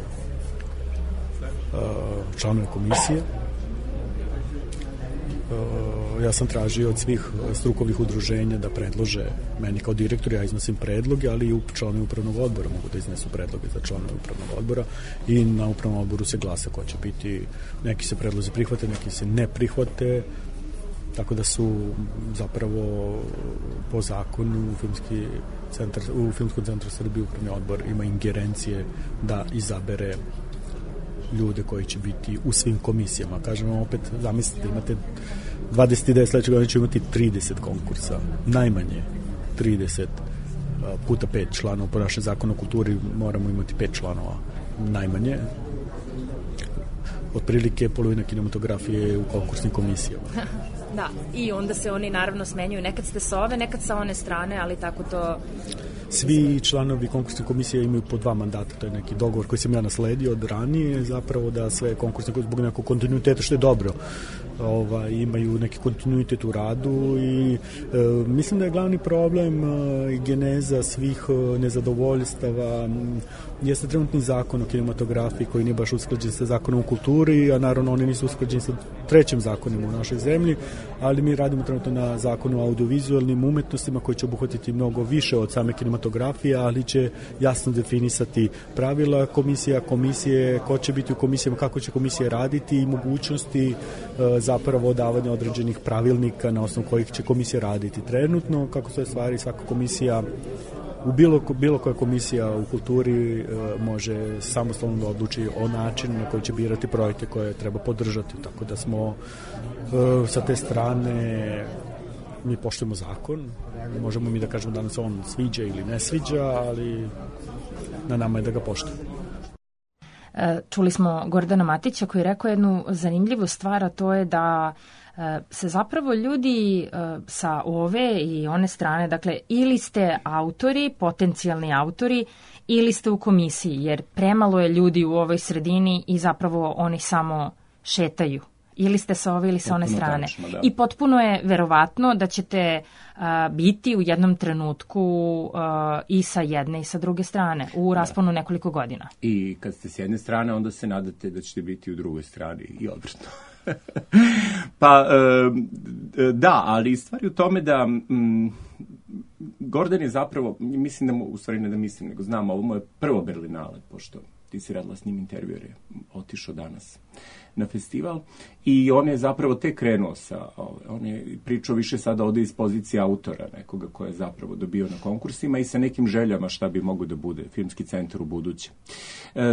članove komisije. Ja sam tražio od svih strukovnih udruženja da predlože meni kao direktor, ja iznosim predloge, ali i članovi upravnog odbora mogu da iznesu predloge za članove upravnog odbora i na upravnom odboru se glasa ko će biti, neki se predlozi prihvate, neki se ne prihvate, tako da su zapravo po zakonu u Filmskom centru Srbije upravni odbor ima ingerencije da izabere ljude koji će biti u svim komisijama. Kažem vam opet, zamislite, imate 29, sledeće godine će imati 30 konkursa, najmanje 30 puta 5 članova. Po našem zakonu o kulturi moramo imati 5 članova najmanje. Otprilike polovina kinematografije je u konkursnim komisijama. Da, i onda se oni naravno smenjuju. Nekad ste sa ove, nekad sa one strane, ali tako to... Svi članovi konkursne komisije imaju po 2 mandata, to je neki dogovor koji sam ja nasledio od ranije, zapravo da sve konkursne komisije zbog nekog kontinuiteta, što je dobro, imaju neki kontinuitet u radu i mislim da je glavni problem i geneza svih nezadovoljstava jeste trenutni zakon o kinematografiji koji nije baš usklađen sa zakonom o kulturi, a naravno oni nisu usklađeni sa trećim zakonima u našoj zemlji, ali mi radimo trenutno na zakonu o audiovizualnim umetnostima koji će obuhvatiti mnogo više od same kinematografije, ali će jasno definisati pravila komisije, ko će biti u komisijama, kako će komisije raditi i mogućnosti zapravo davanja određenih pravilnika na osnovu kojih će komisija raditi. Trenutno, kako stoje stvari, svaka komisija bilo koja komisija u kulturi može samostalno da odluči o načinu na koji će birati projekte koje treba podržati, tako da smo sa te strane mi poštujemo zakon, možemo mi da kažemo da nam se on sviđa ili ne sviđa, ali na nama je da ga poštujemo. Čuli smo Gordana Matića koji je rekao jednu zanimljivu stvar, a to je da se zapravo ljudi sa ove i one strane, dakle, ili ste autori, potencijalni autori, ili ste u komisiji, jer premalo je ljudi u ovoj sredini i zapravo oni samo šetaju. Ili ste sa ove ili sa one strane. Tačno, da. I potpuno je verovatno da ćete biti u jednom trenutku i sa jedne i sa druge strane u rasponu nekoliko godina. I kad ste s jedne strane, onda se nadate da ćete biti u drugoj strani i obratno. Pa, da, ali stvari u tome da Gordon je zapravo, mislim da u stvari ne da mislim, nego znam, ovo mu je prvo Berlinale, pošto ti si radila s njim intervju, jer je otišao danas na festival i on je zapravo tek krenuo on je pričao više sada ovde iz pozicije autora nekoga koja je zapravo dobio na konkursima i sa nekim željama šta bi mogo da bude Filmski centar u buduće.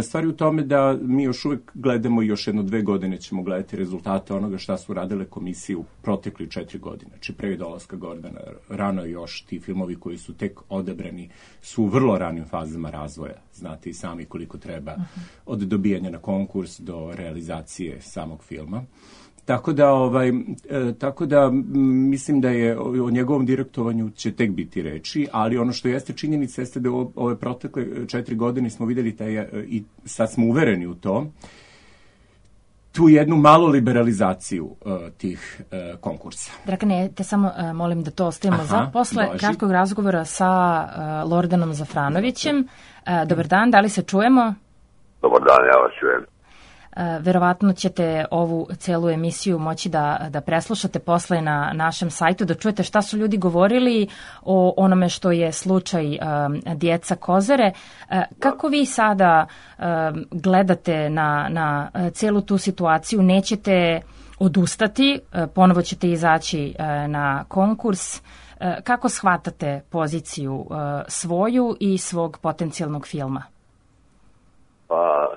Stvari u tome da mi još uvek gledamo i još 1-2 godine ćemo gledati rezultate onoga šta su radile komisije u protekli 4 godine. Znači pre dolaska Gordana, rano još ti filmovi koji su tek odabrani su u vrlo ranim fazama razvoja. Znate i sami koliko treba od dobijanja na konkurs do realizacije samog filma. Tako da mislim da je o njegovom direktovanju će tek biti reči, ali ono što jeste činjenica jeste da u ove protekle 4 godine smo videli i sad smo uvereni u to, tu jednu malu liberalizaciju tih konkursa. Dragane, te samo molim da to ostavimo za posle kratkog razgovora sa Lordanom Zafranovićem. Dobar dan, da li se čujemo? Dobar dan, ja vas čujem. Verovatno ćete ovu celu emisiju moći da preslušate posle na našem sajtu, da čujete šta su ljudi govorili o onome što je slučaj djeca Kozare. Kako vi sada gledate na celu tu situaciju? Nećete odustati, ponovo ćete izaći na konkurs. Kako shvatate poziciju svoju i svog potencijalnog filma? Pa,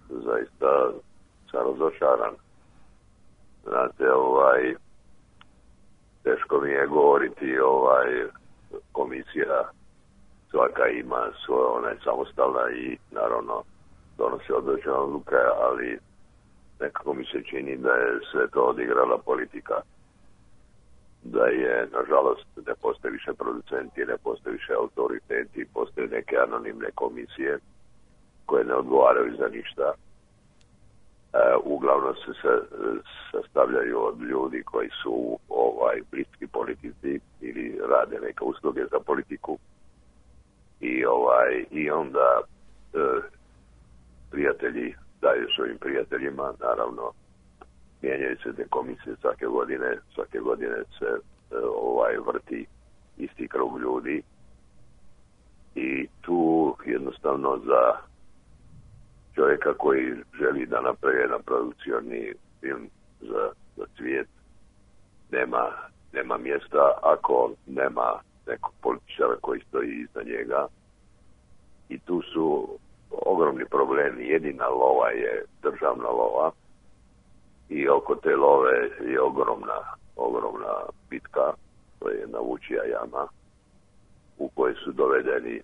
zaista sam razočaran. Znate, teško mi je govoriti, komisija svaka ima svoje, ona je samostalna i naravno donosi određene odluke, ali nekako mi se čini da je sve to odigrala politika. Da je, nažalost, ne postoje više producenti, ne postoje više autoriteti, postoje neke anonimne komisije koje ne odgovaraju za ništa. Uglavnom se sastavljaju od ljudi koji su bliski politici ili rade neke usluge za politiku i onda prijatelji daju svojim prijateljima, naravno mijenjaju se te komisije svake godine se vrti isti krug ljudi i tu jednostavno za čovjeka koji želi da napravi jedan produkcioni film za svijet nema mjesta ako nema nekog političara koji stoji iza njega i tu su ogromni problemi. Jedina lova je državna lova i oko te love je ogromna bitka, to je Navučija jama u kojoj su dovedeni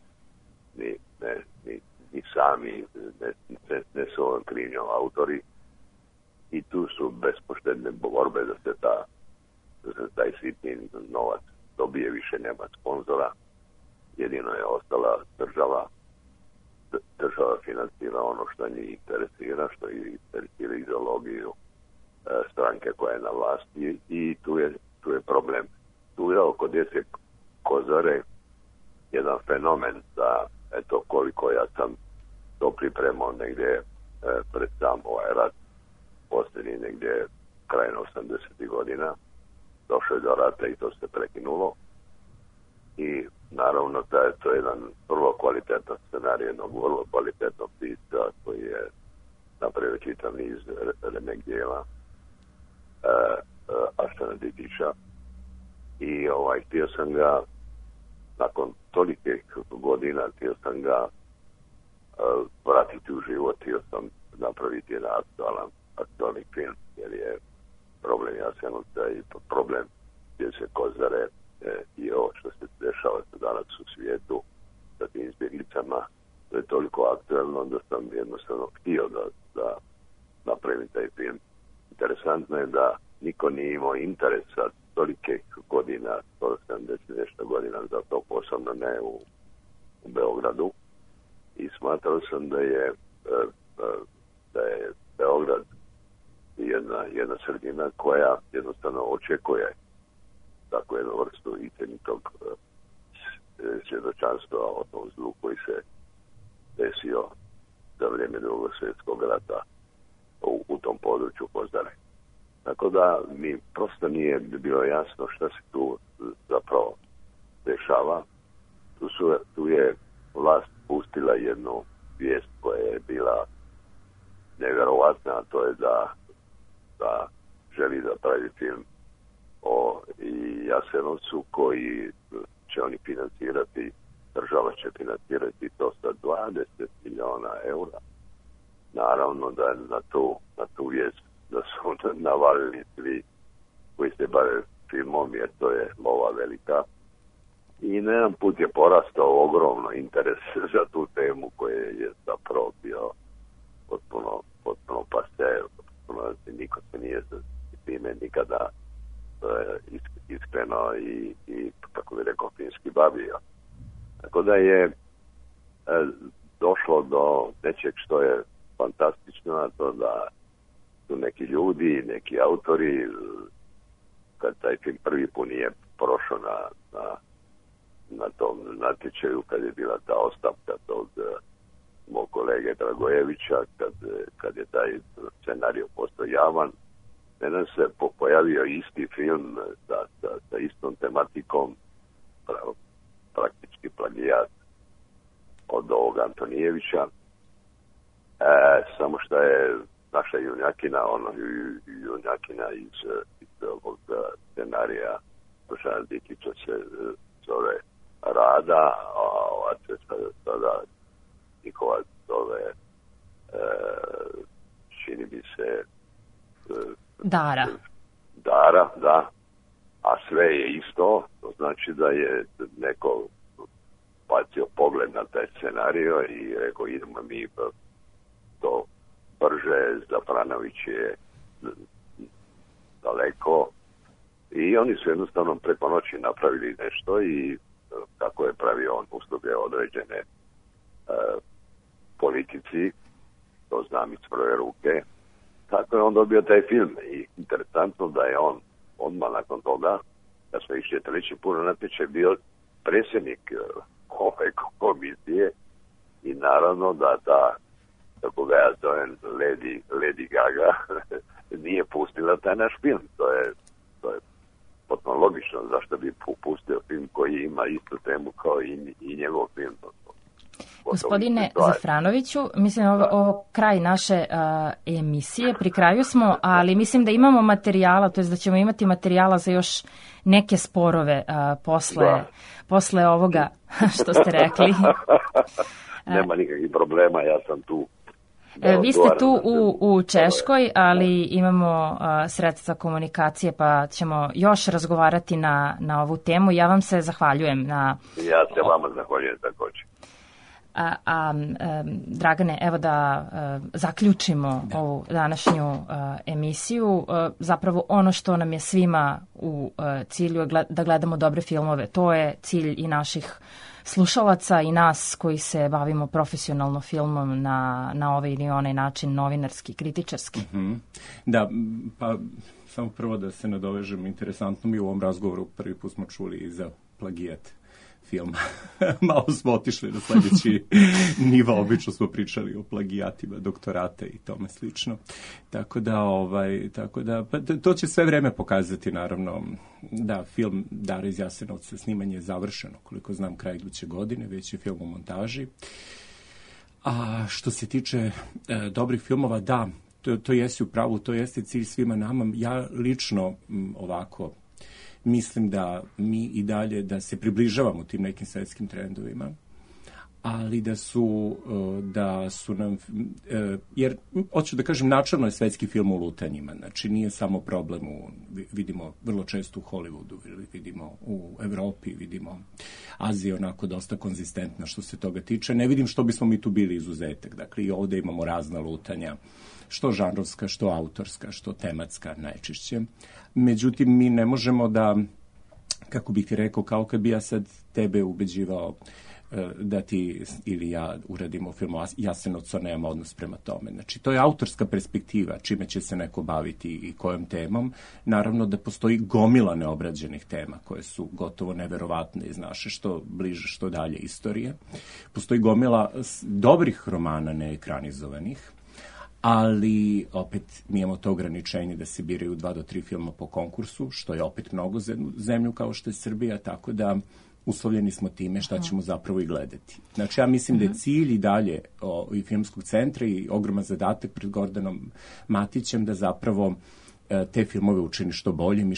ni sami, ne s ovom krivnjom autori i tu su bespoštedne borbe da se taj sitni novac dobije, više nema sponzora, jedino je ostala država financira ono što njih interesira, što ih interesira ideologiju stranke koja je na vlasti i tu je problem. Tu je oko Djece Kozare jedan fenomen da, eto, koliko ja sam to pripremao negdje pred sam ovaj rat, posljednji negdje krajem 80. godina, došlo je do rata i to se prekinulo. I naravno to je jedan vrlo kvalitetan scenarij jednog vrlo kvalitetnog pisca koji je napravio čitav niz remek dijela Arsena Didića i htio sam ga nakon tolikih godina vratiti u život, htio sam napraviti jedan aktualni film jer je problem Jasenovca i problem Djece Kozare i ovo što se dešava danas u svijetu sa tim izbjeglicama, to je toliko aktualno da sam jednostavno htio da napravim taj film. Interesantno je da niko nije imao interesa tolike godina, 170 nešto godina za to, posebno ne u Beogradu i smatrao sam da je Beograd jedna sredina koja jednostavno očekuje takvu jednu vrstu istinitog svjedočanstva o tom zlu koji se desio za vrijeme Drugog svjetskog rata u tom području Kozare. Tako da mi prosto nije bilo jasno šta se tu zapravo dešava. Tu je vlast pustila jednu vijest koja je bila nevjerovatna, a to je da želi da pravi film o Jasenovcu koji će oni financirati, država će financirati to sa 20 milijuna eura. Naravno da na tu vijest da su navalili svi koji se bave filmom jer to je lova velika. I na jedan put je porastao ogromno interes za tu temu koja je zapravo bio potpuno pase, niko se nije s time nikada iskreno i kako bi rekao finski bavio. Tako da je došlo do nečeg što je fantastično, a to da su neki ljudi, neki autori, kad taj film prvi put nije prošao na tom natječaju, kad je bila ta ostavka tog mog kolege Dragojevića, kad je taj scenarij postao javan, danas se pojavio isti film sa istom tematikom, praktički plagijat od ovog Antonijevića, samo što je naša junjakina iz ovog scenarija Dušana Dikića se zove Rada, a ova se sada njihova zove čini bi se Dara, da, a sve je isto, to znači da je neko bacio pogled na taj scenario i rekao idemo mi to Prže, Zafranović je daleko i oni su jednostavno preko noći napravili nešto i kako je pravio on usluge određene politici, to znam iz prve ruke, tako je on dobio taj film i interesantno da je on odmah nakon toga, da smo išli treći put na natječaj, bio predsjednik ove komisije i naravno da ta, kako ga ja zovem, Lady Gaga nije pustila taj naš film. To je potpuno logično, zašto bi pustio film koji ima istu temu kao i njegov film. Gospodine Zafranoviću, mislim ovo kraj naše emisije, pri kraju smo, ali mislim da imamo materijala, to je da ćemo imati materijala za još neke sporove posle ovoga što ste rekli. Nema nikakvih problema, ja sam tu. Vi ste tu u Češkoj, ali imamo sredstva komunikacije, pa ćemo još razgovarati na ovu temu. Ja vam se zahvaljujem. Ja se vama zahvaljujem također. Dragane, evo da zaključimo ovu današnju emisiju. Zapravo ono što nam je svima u cilju je da gledamo dobre filmove. To je cilj i naših slušalaca i nas koji se bavimo profesionalno filmom na ovaj ili onaj način, novinarski, kritičarski. Da, pa samo prvo da se nadovežem, interesantno mi u ovom razgovoru prvi put smo čuli i za plagijat filma. Malo smo otišli na sljedeći nivo, obično smo pričali o plagijatima, doktorate i tome slično. Tako da pa to će sve vreme pokazati, naravno, da film Dara iz Jasenovca, snimanje je završeno, koliko znam, kraj iduće godine, već je film u montaži. A što se tiče dobrih filmova, da, to jeste u pravu, to jeste cilj svima nama. Ja lično ovako mislim da mi i dalje da se približavamo tim nekim svetskim trendovima, ali da su nam, jer hoću da kažem, načelno je svetski film u lutanjima, znači nije samo problem vidimo vrlo često u Hollywoodu, vidimo u Evropi, vidimo Azija onako dosta konzistentna što se toga tiče, ne vidim što bismo mi tu bili izuzetak, dakle i ovde imamo razna lutanja, što žanrovska, što autorska, što tematska najčešće. Međutim, mi ne možemo da, kako bih ti rekao, kao kad bi ja sad tebe ubeđivao da ti ili ja uradimo film o Jasenovcu, nemamo odnos prema tome. Znači, to je autorska perspektiva, čime će se neko baviti i kojom temom. Naravno da postoji gomila neobrađenih tema koje su gotovo neverovatne iz naše što bliže, što dalje istorije. Postoji gomila dobrih romana neekranizovanih, ali opet mi imamo to ograničenje da se biraju 2 do 3 filma po konkursu, što je opet mnogo za zemlju kao što je Srbija, tako da uslovljeni smo time šta ćemo zapravo i gledati. Znači, ja mislim da je cilj i dalje i Filmskog centra i ogroman zadatak pred Gordanom Matićem da zapravo te filmove učini što boljim i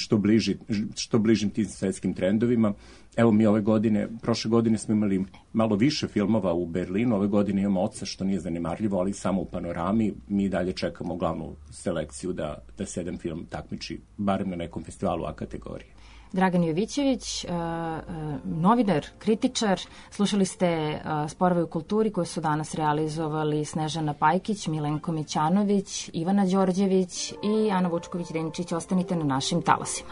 što bližim tim svetskim trendovima. Evo mi prošle godine smo imali malo više filmova u Berlinu, ove godine imamo Oca, što nije zanimarljivo, ali samo u Panorami. Mi dalje čekamo glavnu selekciju da se jedan film takmiči, barem na nekom festivalu A kategorije. Dragan Jovićević, novinar, kritičar, slušali ste Sporove u kulturi koje su danas realizovali Snežana Pajkić, Milenko Mićanović, Ivana Đorđević i Ana Vučković-Denčić. Ostanite na našim talasima.